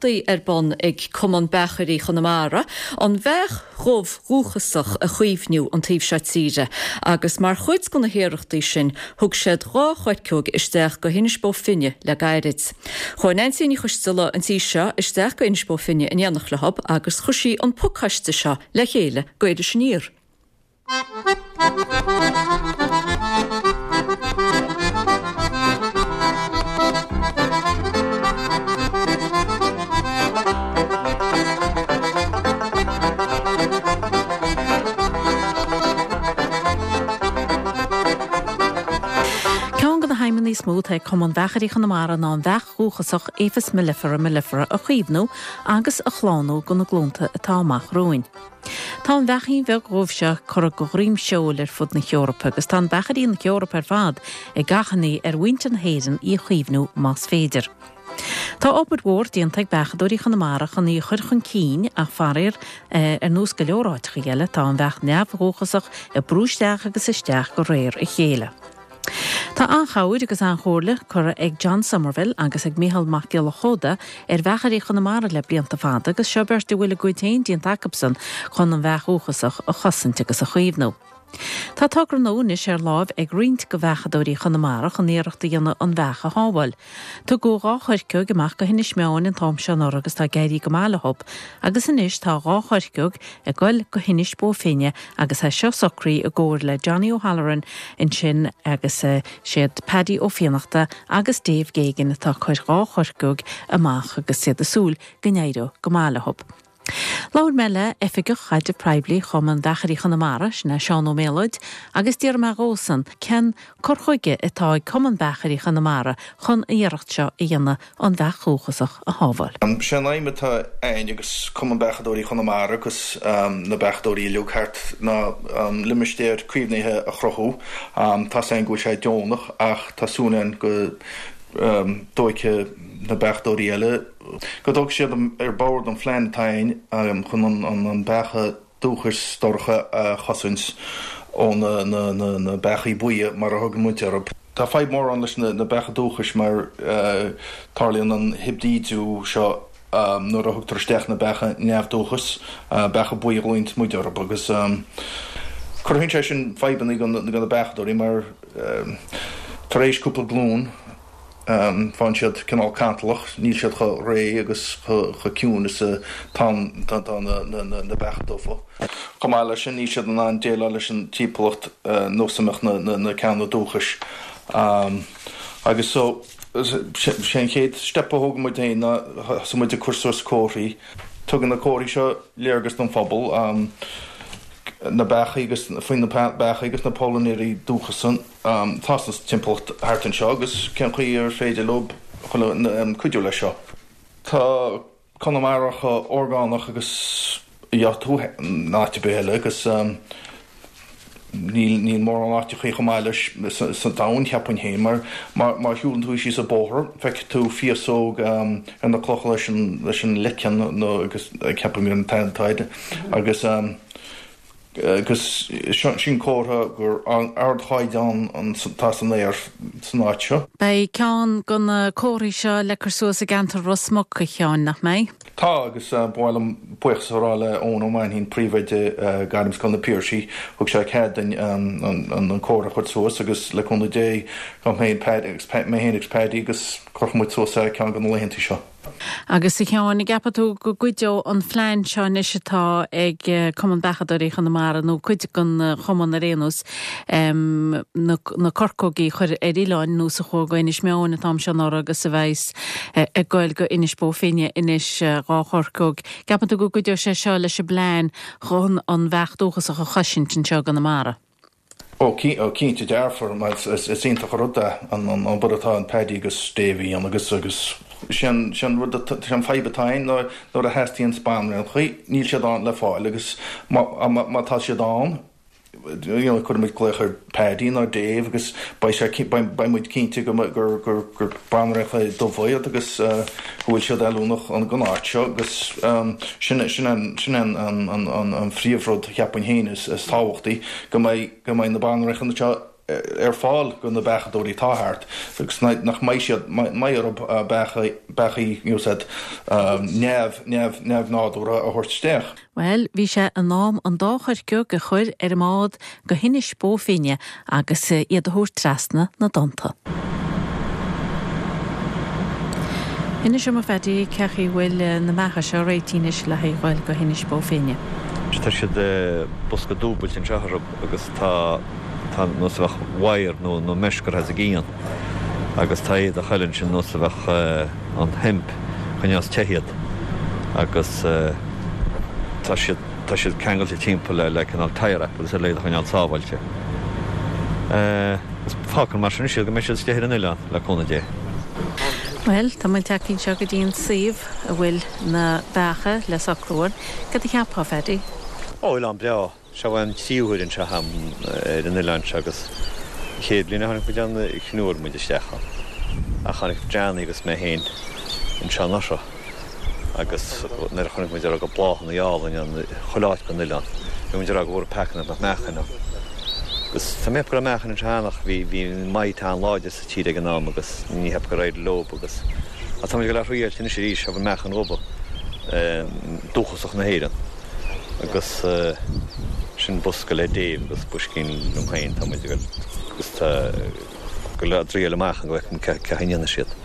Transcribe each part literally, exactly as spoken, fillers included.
iarrachtaí ar bun ag Cumann Beachairí Chonamara an bheach dhubh dhúchasach a chaomhnú an taobh seo tíre, agus mar chuid de na hiarrachtaí sin thug siad dhá choirceog isteach go hInis Bó Finne le gairid. Chuaigh Neansaí Ní Choisteala an tí seo isteach go Inis Bó Finne in éineacht leo agus chuir sí an pacáiste seo le chéile go Iris Aniar. Ceann de na haidhmeanna is mó atá ag Cumann Beachairí Chonamara ná an bheach dhúchasach Apis mellifera mellifera a chaomhnú agus a shlánú do na glúnta atá amach romhainn. Tá an bheaichín bheag dhubh seo curtha de dhroim seoil ar fud na hEorpa agus tá na beachairí na hEorpa ar fad ag achainí ar mhuintir na hÉireann í a chaomhnú más féidir. Tá obair mhór déanta ag beachadóirí Chonamara chun í a chur chun cinn ach faraor ar nós go leor áiteacha eile tá an bheach neamhdhúchasach ag brú isteach agus isteach de réir a chéile. Tá an-chabhair agus an-chomhairle curtha ag John Somerville agus ag Micheál Mac Giolla Chóda ar bheachairí Chonamara le blianta fada agus seo beirt a bhfuil a gcuid féin déanta acusan chun an bheach dhúchasach a chosaint agus a chaomhnú. Tá togra nua anois ar láimh ag roinnt de bheachadóirí Chonamara chun iarracht a dhéanamh an bheach a shábháil. Tugadh dhá choirceog amach go hInis Meáin an t-am seo anuraidh agus tá ag éirí go maith leo, agus anois tá dhá choirceog ag goil go hInis Bó Finne agus tá seo socraithe i gcomhar le Johnny O'Halloran ansin agus eh, siad Paddy Ó Fiannachta agus Dave Geoghegan atá ag cur dhá choirceog amach agus iad ag súil go n-éireoidh go maith leo. Labhair mé le Oifigeach Caidrimh Poiblí Chumann Beachairí Chonamara sin é Seán Ó Méalóid agus d'iarr mé dhósan cén cur chuige atá ag Cumann Beachairí Chonamara chun an iarracht seo a dhéanamh an bheach dhúchasach a shábháil. Sé an aidhm atá againn agus Cumann Beachadóirí Chonamara agus na beachadóirí uilig thart ná limistéar caomhnaithe a chruthú. Tá sé go bhfuil sé deonach ach tá súil againn go dtógfaidh na beachadóirí eile go dtógfaidh siad ar bord an phlean atá againn chun an beacha dúchais dorcha a chosaint ó na beachaí buí mar a thugann muid orthu. Tá fadhb mór ann leis na beacha dúchais mar tarlaíonn an hibrídiú seo nuair a thugtar isteach na beacha neamhdúchais, beacha buí a ghlaonn muid orthu agus cruthaíonn sé sin fadhbanna do na beachadóirí mar tar éis cúpla glúin faigheann siad cineál cantalach, níl siad chomh réidh agus chomh ciúin is atá na beacha dubha. Chomh maith leis sin níl siad in ann déileáil leis an timpeallacht nós a mbeadh na ceanna dúchais. Agus so sé an chéad step a thóg muid féin ná thosaigh muid ag cur suas comharthaí. Tugann na comharthaí seo léargas don phobal na beachaí agus faoi na beachaí agus na pailneoirí dúchasa atá sa timpeallacht thart anseo agus cén chaoi ar féidir leo cuidiú leis seo. Tá Conamara chomh orgánach agus a gheobhaidh tú in áit ar bith eile agus níl níl mórán áiteachaí chomh maith leis sa domhan cheapfainn féin mar má shiúlann tú síos an bóthar feicfidh tú féasóg ar na clocha leis an leis an leiceann nó agus ceapaim gur an t-ainm atá air agus agus sin comhartha gur ardchaighdeán atá san aer san áit seo. Beidh ceann de na comharthaí seo le cur suas i gceantar Ros Muc a Sheáin, nach mbeidh? Tá agus ba mhaith liom buíochas a rá le Eoin Ó Mainchín, príomhoide Gairmscoil na Piarsaigh, thug sé cead dúinn an comhartha a chur suas agus le cúnamh Dé gabhfaidh mé féin agus Paddy agus cuirfidh muid suas é ceann de na laethanta seo. Agus a Sheáin, an gceapann tú go gcuideoidh an phlean seo anois atá ag Cumann Beachadóirí Chonamara nó cuid den chumann ar aon nós na corcógaí a chur ar oileáin nós a chuaigh go Inis Meáin an t-am seo anuraidh agus a bheas ag goil go Inis Bó Finne anois dhá chorcóg. Ceapann tú go gcuideoidh sé seo leis an bplean chun an bheach dúchasach a chosaint anseo i gConamara? Ó cinnte dearfa mar is iontach an rud é an obair atá an Paddy agus Dave a dhéanamh agus agus sin sin rud sin fadhb atá ann nuair nuair a theastaíonn banréaltaí níl siad ann le fáil agus má má tá siad ann you know cuirimid glaoch ar Paddy nó Dave agus beidh sé beidh muid cinnte go gur gur gur banréaltaí dubha iad agus go bhfuil siad oiriúnach don áit seo agus sin sin an sin an an an an phríomhrud cheapfainn féin is is tábhachtaí go mbeidh go mbeidh na banréaltaí seo ar fáil go na beachadóirí atá thart agus nach mbeidh siad mbeidh orthu beachaí you said neamh neamh neamhnádúrtha a thabhairt isteach. Bhuel, bhí sé in am an dá choirceog a chur ar an mbád go hInis Bó Finne agus iad a thabhairt trasna na dtonnta. Inis dom a Phaddy cén chaoi a bhfuil na beacha seo réitithe anois le haghaidh dhul go hInis Bó Finne. Tá siad bosca dúbailte anseo orthu agus tá tá nós a bheadh wire nó nó mesh curtha os a gcionn agus tá éadach eile ansin nós a bheadh an hemp choinneos te iad agus tá siad tá siad ceangailte timpeall le le cineál tie wrap agus ar le iad a choinneáil sábháilte. Agus fágfar mar sin iad go mbeidh siad istigh ar an oileán le cúnamh Dé. Bhuel, tá muid tagtha anseo go dtí an suíomh a bhfuil na beacha le socrú ann. Cad a cheapfá, Phaddy? Ó, oileán breá. Seo an tríú huair anseo agam ar an oileán seo agus an chéad bhliain a tháinig muid ann chionúir muid isteach ann. Ach tháinig Johnny agus mé féin anseo anuraidh agus nuair a chonaic muid a raibh de bhláthanna álainn ann chuile áit den oileán, bhí muid ag rá go bhfuair peaca nach mbeadh meachain ann. Agus tá mé ag ceapadh go raibh meachain anseo cheana ach bhí bhí mite an-láidir sa tír ag an am agus ní cheapaim gur éirigh leo agus ach tá muid ag dul á thriailt anois arís, seo meachain dhubha dúchasach na hÉireann agus sin bosca le Dave agus boiscín liom féin, tá muid ag dul agus tá go le dtriail amach go bhfeicfidh cé chaoi a ndéanfaidh siad.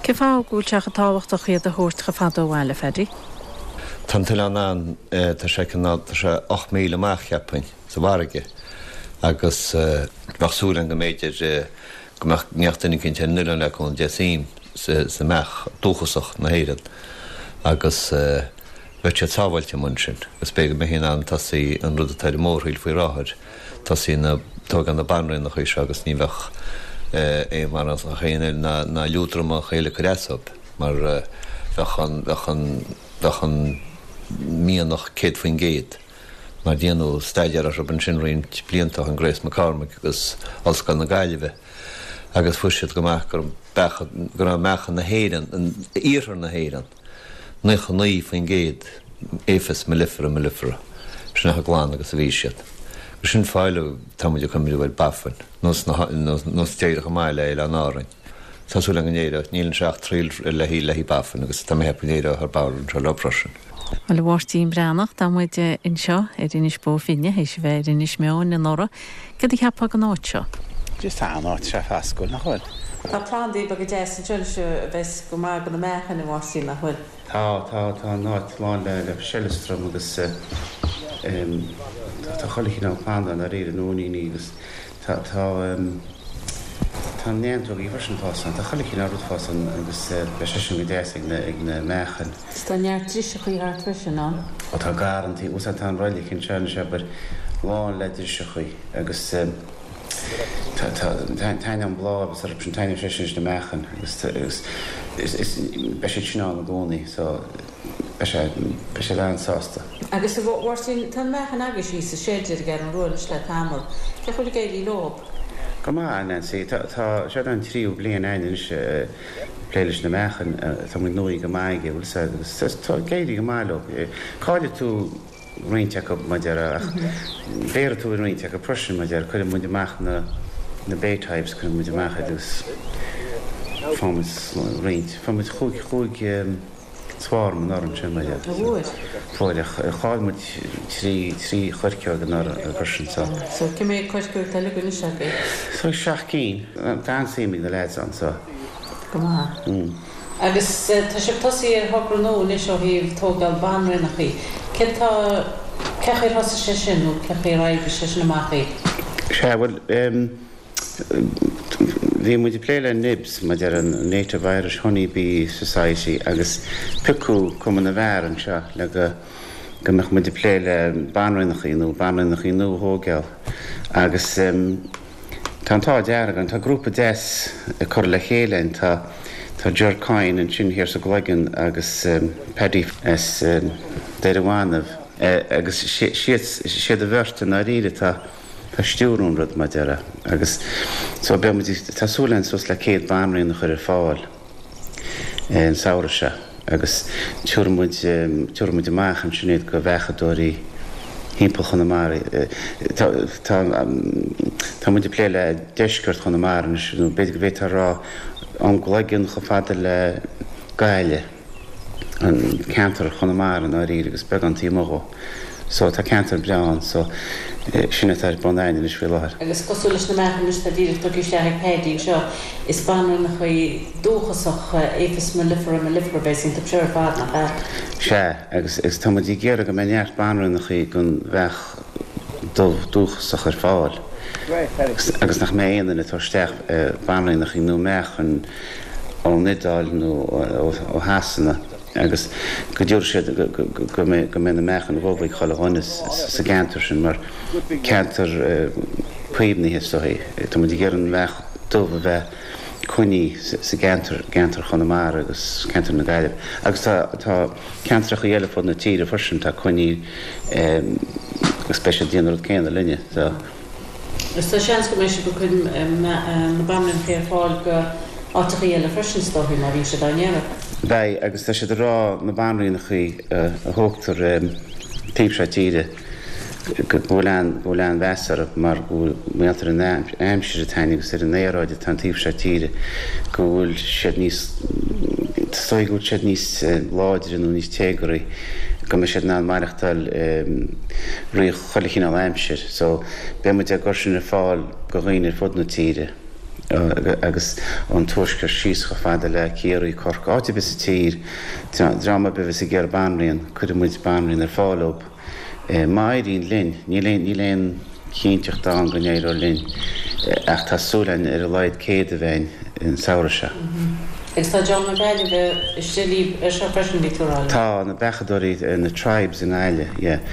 Cén fáth go bhfuil sé chomh tábhachtach iad a thabhairt chomh fada ó bhaile, Phaddy? Tá an t-oileán ann, tá sé cineál, tá sé ocht míle amach, cheapfainn, sa bhfarraige agus bheadh súil againn go mb'fhéidir go mbeadh neart duine eicínt ar an oileán le cúnamh Dé suim sa mbeach dúchasach na hÉireann agus bheadh siad sábháilte amuigh ansin agus b'fhéidir go mbeifí in ann tosaí an rud atá ar an mórshiúl faoi láthair, tosaí na tógáil na banríonacha seo agus ní bheadh aon bhanríonacha eile ná ná liúdramach eile ag cur as dóibh mar bheadh an bheadh an bheadh an mianach céad faoin gcéad. Mar déanadh staidéar orthu ansin roinnt blianta ó shin, Grace McCormick agus Ollscoil na Gaillimhe, agus fuair siad amach go raibh meacha na hÉireann, iarthar na hÉireann, naocha naoi faoin gcéad Apis mellifera mellifera, sin chomh glan agus a bhí siad. Agus sin fáth eile tá muid ag cuimhneamh ar Baffin, nós nós d'éirigh chomh maith le Oileáin Árainn. Tá súil agam go n-éireoidh, níl anseo ach triail le haghaidh Baffin agus tá mé ag ceapadh go n-éireoidh thar barr anseo leo freisin. Bhuel, a Mháirtín Breathnach, tá muid anseo ar Inis Bó Finne, théis a bheith ar Inis Meáin anuraidh. Cad a cheapfá den áit seo? Just tá an áit seo foscúil, nach bhfuil? Tá plandaí beaga deasa anseo anois a bheas go maith do na meachain, a Mháirtín, nach bhfuil? Tá, tá, tá an áit lán le le seileastram agus tá chuile chineál planda i ndáiríre, nóiníní agus tá, tá, tá neantógaí freisin ag fás ann, tá chuile chineál rud ag fás ann agus beidh sé sin go deas ag na, ag na meachain. Is tá neart driseachaí thart freisin ann. Ó tá garrantaí, úsáid tá an roilig anseo anois abair, lán le driseachaí agus tá, tá, taitneoidh an bláth agus orthu sin taitneoidh sé sin leis na meachain agus, agus is, is, beidh siad sin ann i gcónaí so beidh sé, beidh siad an-sásta. Agus a Mháirtín, tá na meachain agaibh thíos sa seid ar an gCeathrú Rua anois le tamall. Cén chaoi a bhfuil ag éirí leo? Go maith, a Nancy. Tá, tá, seo an tríú bliain againn anois ag plé leis na meachain. Tá muid gnóthaithe go maith aige, bhfuil 'fhios a'd, agus tá ag éirí go maith leo. Caillfidh tú roinnt acu, mar a déarfá, ach béarfaidh tú roinnt acu freisin, mar a déarfá. Cuireann muid amach na, na bait hives, cuireann muid amach iad agus faigheann muid roinnt, fuair muid chúig, chúig, swarm anuraidh ansin mar a déarfá. Fuair ach chaill muid trí trí choirceog anuraidh freisin so. So cé mhéad coirceog atá uilig anois agaibh? So seacht gcinn. Tá an-suim ag na lads ann so. Go maith. Mm. Agus tá sibh tosaithe ar thogra nua anois ó thaobh tógáil banríonachaí. Céard tá, cén chaoi ar thosaigh sé sin nó cén chaoi ar oibrigh sé sin amach dhaoibh? Sea, bhuel em. Bhí muid ag plé le NIBS, mar a déarfá an Native Irish Honey Bee Society, agus piocadh Cumann na bhFear anseo le go go mbeadh muid ag plé le banríonachaí nó banríonachaí nua a thógáil. Agus tá an t-ádh dearg orainn, tá grúpa deas ag cur le chéile againn, tá tá Ger Coyne ansin thiar sa gCloigeann agus Paddy as Doire Bhanbh agus siad siad an bheirt i ndáiríre atá ag stiúradh an rud, mar a déarfá. Agus so beidh muid, tá súil againn suas le céad banríon a chur ar fáil an samhradh seo agus tabharfaidh muid, tabharfaidh muid amach ansin iad go bheachadóirí thimpeall Chonamara. Tá tá tá muid ag plé le deisceart Chonamara anois nó b'fhéidir go bhféadfá a rá ón gCloigeann chomh fada le Gaillimh, an ceantar Chonamara i ndáiríre agus beagán taobh amuigh dhó. So tá ceantar breá ann so sin atá ar bun againn anois faoi láthair. Agus cosúil leis na meachain anois atá díreach tugtha isteach ag Paddy anseo, is banríonacha dúchasacha Apis mellifera mellifera a bheas iontu seo ar fad, nach ea? Sea, agus agus tá muid ag iarraidh go mbeidh neart banríonacha den bheach dubh dúchasach ar fáil agus nach mbeidh aon duine ag tabhairt isteach banríonacha nó meachain ón Iodáil nó ó Shasana agus go dtabharfaidh siad go mbeidh na meachain dhubha ag chuile dhuine sa gceantar sin mar ceantar caomhnaithe is dóigh. Tá muid ag iarraidh an bheach dubh a bheith coinnithe sa gceantar, gceantar Chonamara agus ceantar na Gaillimhe. Agus tá tá ceantracha eile fud na tíre freisin atá coinnithe agus beidh siad ag déanamh an rud céanna linne. So. Agus tá seans go mbeidh sibh ag cur na banríonacha ar fáil go áiteachaí eile freisin is dóigh, má bhíonn siad á n-iarraidh. Beidh, agus tá siad ag rá na banríonachaí a thógtar taobh seo tíre go bhfuil an, go bhfuil an-mheas orthu mar go bhfuil, mar gheall ar an aimsir atá ann agus ar an aeráid atá an taobh seo tíre, go bhfuil siad níos, is dóigh go bhfuil siad níos láidre nó níos téagarthaí, go mbeidh siad in ann maireachtáil i rith chuile chineál aimsir. So beidh muid ag cur sin ar fáil go dhaoine ar fud na tíre. agus ón tuaisceart síos chomh fada le Ciarraí, Corcaigh, áit ar bith sa tír, dream ar bith a bheas ag iarraidh banríon, cuirfidh muid banríon ar fáil dóibh. Má éiríonn linn, níl aon, níl aon chinnteacht ann go n-éireoidh linn ach tá súil againn ar a laghad céad a bheith againn an samhradh seo. Agus tá dream na Gaillimhe istigh libh ar seo freisin, bhí tú a rá liom. Tá, na beachadóirí, na tribes i nGaillimh, yeah,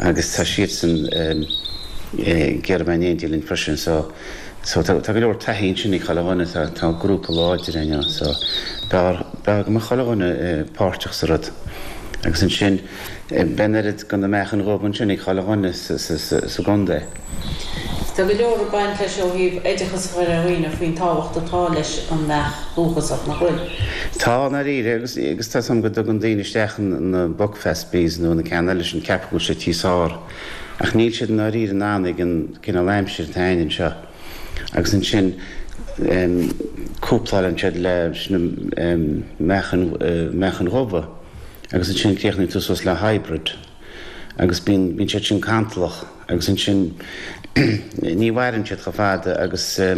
agus tá siadsan ag iarraidh bheith in éindí linn freisin so, So tá go leor taithí ansin ag chuile dhuine, tá tá grúpa láidir againn ann so b'fhearr b'fhearr go mbeadh chuile dhuine páirteach sa rud. Agus ansin beidh an oiread de na meachain dhubha ansin ag chuile dhuine sa sa sa sa gcontae. Tá go leor ag baint leis ó thaobh oideachas a chur ar dhaoine faoin tábhacht atá leis an mbeach dhúchasach, nach bhfuil? Tá, i ndáiríre, agus agus tá 's agam go dtugann daoine isteach na Buckfast bees nó na ceann eile sin, ceapadh go bhfuil siad tíos ár. Ach níl siad i ndáiríre in ann ag an cineál aimsir atá againn anseo. Agus ansin cúplálann siad leis na meachain, meachain dhubha agus ansin críochnaíonn tú suas le hybrid agus bíonn, bíonn siad sin cantalach agus ansin ní mhaireann siad chomh fada agus tá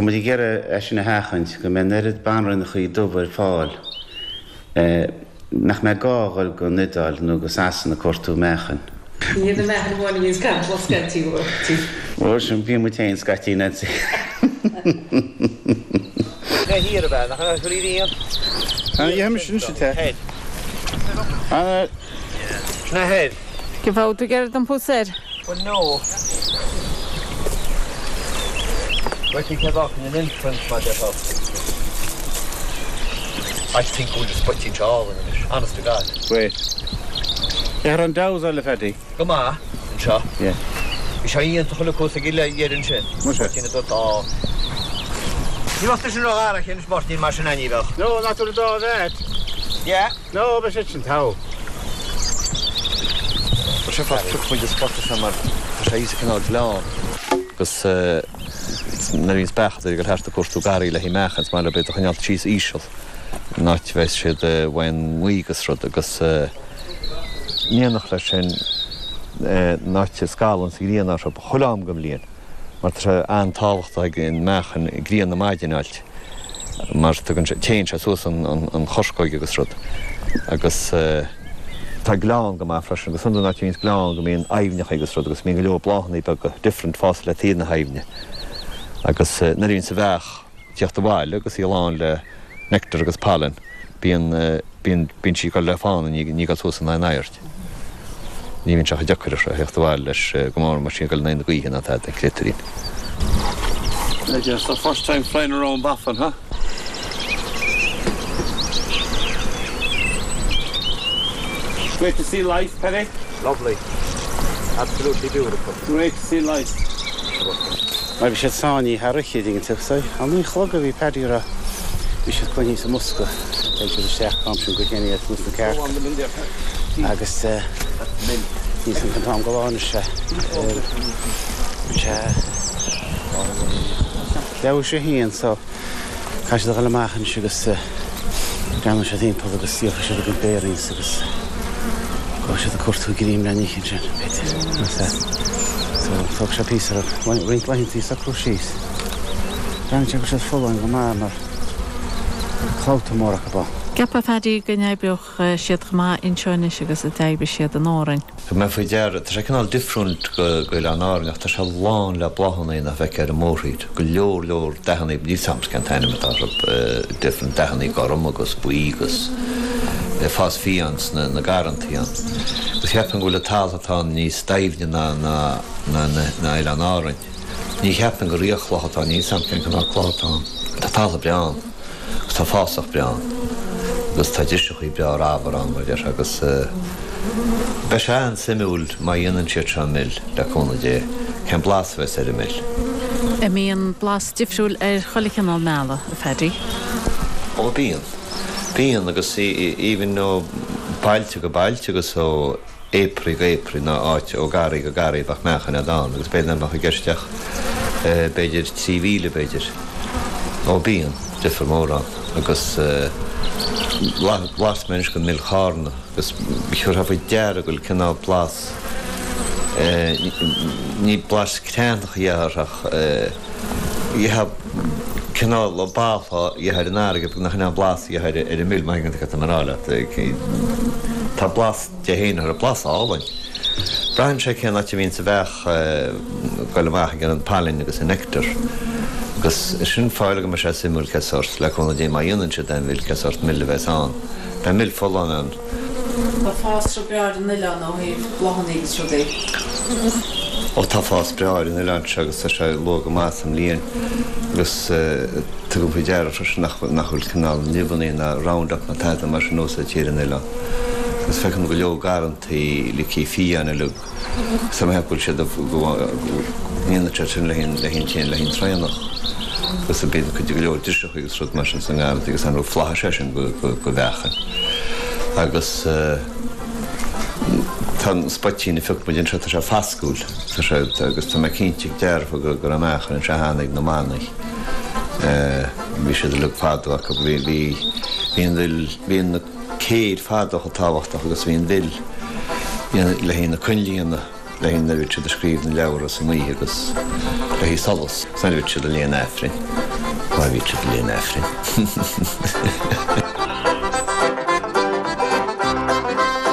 muid ag iarraidh é sin a sheachaint, go mbeidh an oiread banríonachaí dubha ar fáil. Nach mbeidh gá a dhul go an Iodáil nó go Sasana ag cuartú meáchain. Ní hiad na meáchain amháin a bhíonns cantalach scaití, bhuel. Bhuel, sin, bíonn muid féin scaití, Nancy. Na thiar ab ea? Nach ea? Chuir iad aon. Dhéanfaimis anois é. Ana. Na thoir. Cén fáth tú ag iarraidh iompú soir? Well no. I think I've often an entrance mar déarfá. I think go bhfuil spoitín seo álainn anois, honest to God. Wait. Ar an damhsa le Paddy. Go maith, anseo. Yeah. Bhí sé iontach chuile cos ag uile dheireadh ansin. Muise. Spoitín a dúirt á. Ní bheadh tusa ró-ghar anois Máirtín mar sin ní bheadh. No, not to the dá bheith. Yeah. No, beidh sé sin togha. Tá sé fast pioc muid an spota seo mar tá sé thíos i gcineál gleann. Agus nuair a bhíonns beacha ag dul thart ag cuartú garraí le haghaidh meáchain is maith leo iad a choinneáil síos íseal in áit a bheas siad uaidh an ngaoth agus rud agus in éineacht leis sin in áit a scalann sa ghrian orthu chuile am den bhliain mar tá sé an-tábhachtach ag an meáchan grian na maidine a fháilt mar tugann sé, téann sé suas an an chorcóig agus rud agus tá gleann go maith freisin agus iondúil an áit a mbíonns gleann go mbíonn aibhneacha agus rud agus mbíonn go leor bláthanna beaga different fás le taobh na haibhne agus nuair a bhíonns an bheach ag tíocht abhaile agus í lán le nectar agus pollen bíonn bíonn bíonn sí ag dul le fána ní ní ag dul suas in aon aird. Ní bhíonn sé chomh deacair a theacht abhaile leis go mór mar sin ag dul in aghaidh na gaoithe ná tada, an créatúirín. It's the first time flying around Baffin, huh? Great to see life, Paddy. Lovely. Absolutely beautiful. Great to see life. Mar bhí siad sáinnithe thar oíche, an dtuigeann tú. So, a naoi a chlog a bhí Paddy ag rá. Bhí siad coinnithe sa mbosca. Théann siad isteach an t-am sin go chéanna iad sna cearca. Agus Níl a fhios agam cén t-am de lá anois é. Sé leathuair tar éis a haon so caithfidh siad a dhul amach anois agus breathnóidh siad timpeall agus díolfaidh siad a gcuid bearings agus gabhfaidh siad ag cuartú greim le n-ithe ansin, b'fhéidir. So tógfaidh sé píosa orthu, roinnt laethanta socrú síos. Breathnaíonn sé go bhfuil siad folláin go maith mar clabhta mór acu ann. Ceapfá, a Phaddy, go n-oibreodh siad chomh maith anseo anois agus a d'oibrigh siad in Árainn. Thug mé faoi deara, tá sé cineál difriúil go Oileán Árainn ach tá sé lán le bláthanna nach bhfeicfeá ar an mórthír. Go leor leor dathanna, níl 's a'm cén t-ainm atá orthu, different dathanna gorm agus buí agus ag fás fiáin sna na garrantaí ann. Agus cheapfainn go bhfuil an talamh atá ann níos doimhne ná ná ná ná Oileán Árainn. Ní cheapfainn gur iathchloch atá ann, níl 's a'm cén cineál cloch atá ann. Tá talamh breá ann agus tá fásach breá ann agus tá driseachaí breá ramhar ann mar a déarfá agus beidh sé an-suimiúil má dhéanann siad seo mil, le cúnamh Dé, cén blas a bheas ar an mil. An mbíonn blas difriúil ar chuile chineál meala, a Phaddy? Ó bíonn. Bíonn agus even ó bailte go bailte agus ó apiary go apiary nó áit ó garraí go garraí bheadh meáchan agat ann agus b'fhéidir nach mbeadh i gceist ach b'fhéidir trí mhíle b'fhéidir. Ó bíonn difear mór ann agus bhlas mé anois go mil Chárna agus chuirfeá faoi deara go bhfuil cineál blas ní blas creathnach a gheofá ach gheofá cineál blas a gheofá ar an fharraige nach in é an blas a gheofá ar an mil má thuigeann tú cad tá mé a rá leat. Tá blas Dé féin orthu, blas álainn. Braitheann sé cén áit a bhíonn sa bheach ag goil amach ag an pailin agus an nectar. Agus sin fáth go mbeidh sé suimiúil cé sórt, le cúnamh Dé má dhéanann siad aon mhil, cé sórt mil a bheas ann. Beidh mil folláin ann. Tá fásra breá ar an oileán ó thaobh bláthanna agus rudaí. Ó tá fás breá ar an oileán seo agus tá sé luath go maith sa mbliain agus tugaim faoi deara freisin nach nach bhfuil cineál nimheanna ná Roundup ná tada mar sin úsáidte ar an oileán. Agus feicim go leor garrantaí ligthe fiáin uilig agus tá mé ag ceapadh go bhfuil siad go ndéanann siad sin le haghaidh le haghaidh an le haghaidh an traonach agus bíonn cuid go leor driseacha agus rud mar sin sa ngarrantaí agus an rud flaitheas é sin go go go mheáchan. Agus tá an spoitín a phioc muid anseo tá sé fascúil tá sé agus tá mé cinnte dearfa go go raibh meáchan anseo cheana ag na manaigh. Bhí siad uilig fadó acu bhí bhí bhí an mhil bhí na céir fadó chomh tábhachtach agus bhí an mhil le haghaidh na coinnlí le haghaidh nuair a bhí siad ag scríobh na leabhra san oíche agus le haghaidh solas. Nuair a bhí siad ag léamh an Aifrinn má bhí siad ag léamh an Aifrinn.